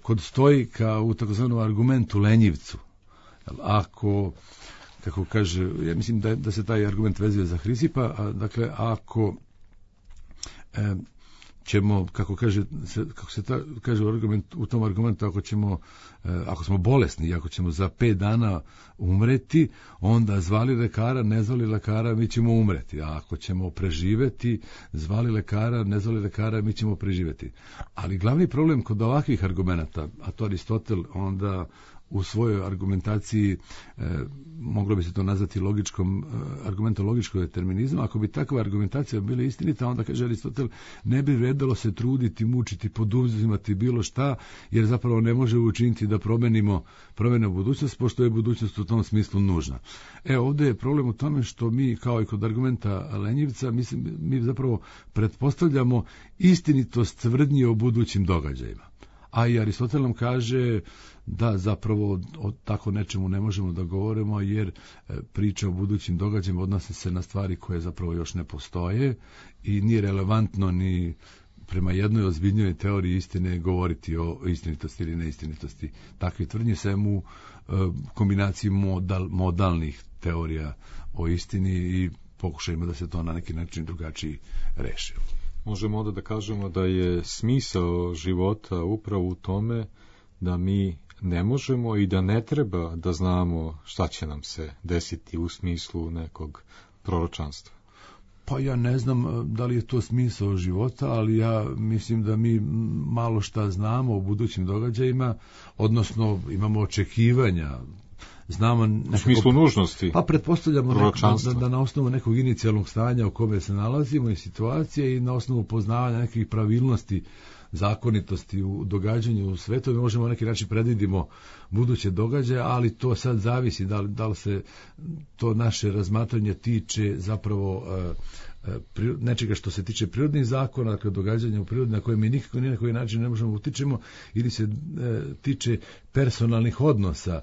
kod stoika u takozvanom argumentu lenjivcu. Ako, kako kaže, ja mislim da se taj argument vezuje za Hrisipa, dakle, ako ćemo, kako se kaže u tom argumentu, ako smo bolesni i ako ćemo za 5 dana umreti, onda zvali lekara, ne zvali lekara, mi ćemo umreti. A ako ćemo preživeti, zvali lekara, ne zvali lekara, mi ćemo preživeti. Ali glavni problem kod ovakvih argumenata, a to Aristotel onda u svojoj argumentaciji, moglo bi se to nazvati argumentom logičkog determinizma, ako bi takva argumentacija bila istinita, onda, kaže Aristotel, ne bi vredalo se truditi, mučiti, poduzimati bilo šta, jer zapravo ne može učiniti da promenimo budućnost, pošto je budućnost u tom smislu nužna. Ovdje je problem u tome što mi, kao i kod argumenta lenjivca, mi zapravo pretpostavljamo istinitost tvrdnji o budućim događajima. A i Aristotel nam kaže da zapravo o tako nečemu ne možemo da govorimo, jer priča o budućim događajima odnose se na stvari koje zapravo još ne postoje i nije relevantno ni prema jednoj ozbiljnoj teoriji istine govoriti o istinitosti ili neistinitosti. Takve tvrdnje se u kombinaciji modalnih teorija o istini i pokušajmo da se to na neki način drugačiji reši. Možemo onda da kažemo da je smisao života upravo u tome da mi ne možemo i da ne treba da znamo šta će nam se desiti u smislu nekog proročanstva. Pa ja ne znam da li je to smisao života, ali ja mislim da mi malo šta znamo o budućim događajima, odnosno imamo očekivanja, znamo nekako, u smislu nužnosti. Pa pretpostavljamo da na osnovu nekog inicijalnog stanja u kome se nalazimo i situacije i na osnovu poznavanja nekih pravilnosti, zakonitosti u događanju u svetu, mi možemo na neki način predvidimo buduće događaje, ali to sad zavisi da li se to naše razmatranje tiče zapravo nečega što se tiče prirodnih zakona, dakle događanja u prirodi na koje mi nikako ni na koji način ne možemo utičemo, ili se tiče personalnih odnosa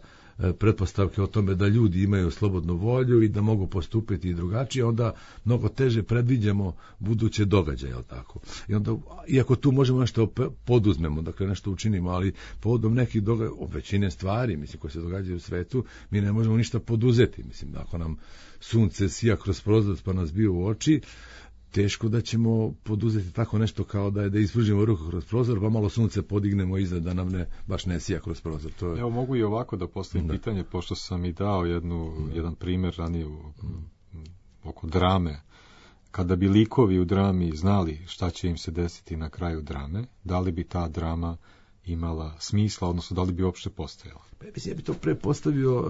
pretpostavke o tome da ljudi imaju slobodnu volju i da mogu postupiti i drugačije, onda mnogo teže predviđamo buduće događaje, jel tako? I onda, iako tu možemo nešto poduzmemo, dakle nešto učinimo, ali povodom nekih događaja, o većine stvari, mislim, koje se događaju u svetu, mi ne možemo ništa poduzeti. Mislim, ako nam sunce sija kroz prozor pa nas bije u oči, teško da ćemo poduzeti tako nešto kao da ispružimo ruku kroz prozor, pa malo sunce podignemo iza da nam baš ne sija kroz prozor. To je... Evo, mogu i ovako da postavim pitanje, pošto sam i dao jedan primjer ranije oko drame. Kada bi likovi u drami znali šta će im se desiti na kraju drame, da li bi ta drama imala smisla, odnosno da li bi uopšte postojala? Mislim, ja bi to prepostavio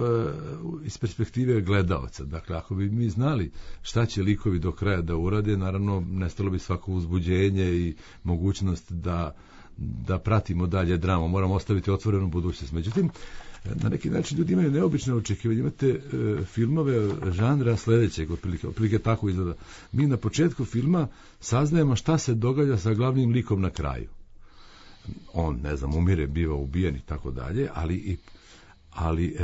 iz perspektive gledalca. Dakle, ako bi mi znali šta će likovi do kraja da urade, naravno, nestalo bi svako uzbuđenje i mogućnost da pratimo dalje dramu. Moramo ostaviti otvorenu budućnost. Međutim, na neki način ljudi imaju neobične očekivanje. Imate filmove žanra sledećeg, otprilike tako izgleda. Mi na početku filma saznajemo šta se događa sa glavnim likom na kraju. On, ne znam, umire, biva ubijen i tako dalje, ali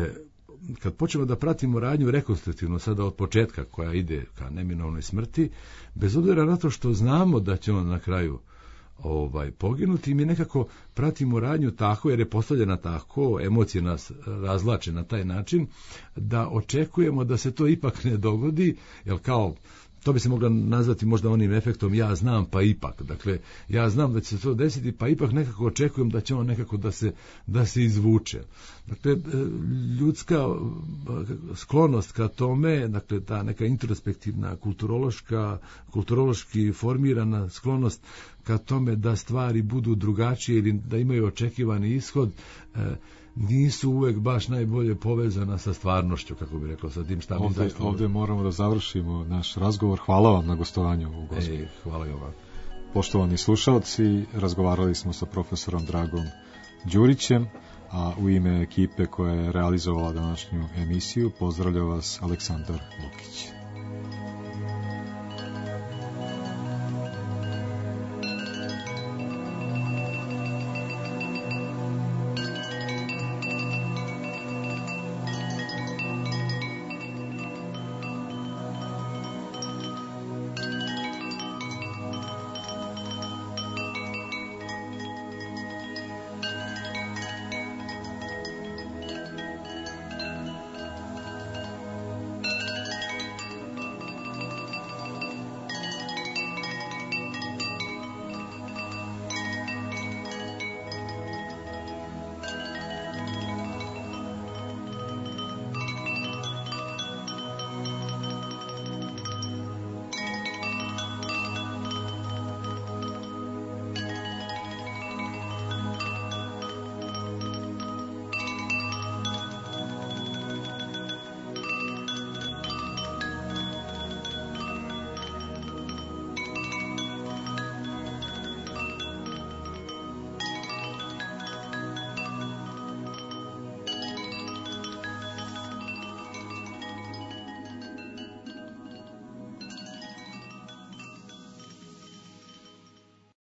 kad počnemo da pratimo radnju rekonstruktivno sada od početka koja ide ka neminovnoj smrti, bez obzira na to što znamo da će on na kraju poginuti, mi nekako pratimo radnju tako, jer je postavljena tako, emocije nas razlače na taj način, da očekujemo da se to ipak ne dogodi, jer kao to bi se moglo nazvati možda onim efektom ja znam pa ipak. Dakle, ja znam da će se to desiti pa ipak nekako očekujem da će on nekako da se izvuče. Dakle, ljudska sklonost ka tome, dakle, ta neka introspektivna, kulturološki formirana sklonost ka tome da stvari budu drugačije ili da imaju očekivani ishod, nisu uvek baš najbolje povezana sa stvarnošću, kako bi rekao, sa tim šta mi zaista... Ovdje moramo da završimo naš razgovor. Hvala vam na gostovanju u Gospiću. Hvala i vam. Poštovani slušalci, razgovarali smo sa profesorom Dragom Đurićem, a u ime ekipe koja je realizovala današnju emisiju pozdravlja vas Aleksandar Lukić.